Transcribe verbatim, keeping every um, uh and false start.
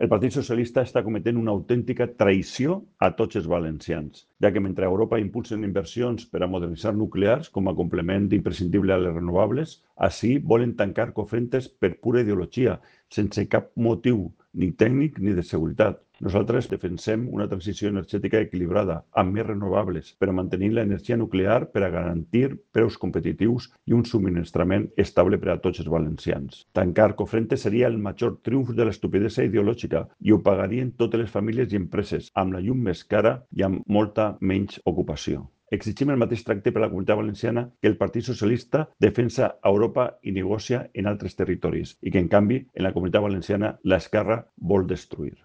El Partit Socialista està cometent una autèntica traïció a tots els valencians, ja que mentre a Europa impulsen inversions per a modernitzar nuclears com a complement imprescindible a les renovables, ací volen tancar Cofrentes per pura ideologia, sense cap motiu ni tècnic ni de seguretat. Nosaltres defensem una transició energètica equilibrada, amb més renovables, però mantenint l'energia nuclear per a garantir preus competitius i un subministrament estable per a tots els valencians. Tancar Cofrentes seria el major triomf de l'estupidesa ideològica i ho pagarien totes les famílies i empreses, amb la llum més cara i amb molta menys ocupació. Exigim el mateix tracte per a la Comunitat Valenciana que el Partit Socialista defensa a Europa i negocia en altres territoris i que, en canvi, en la Comunitat Valenciana l'esquerra vol destruir.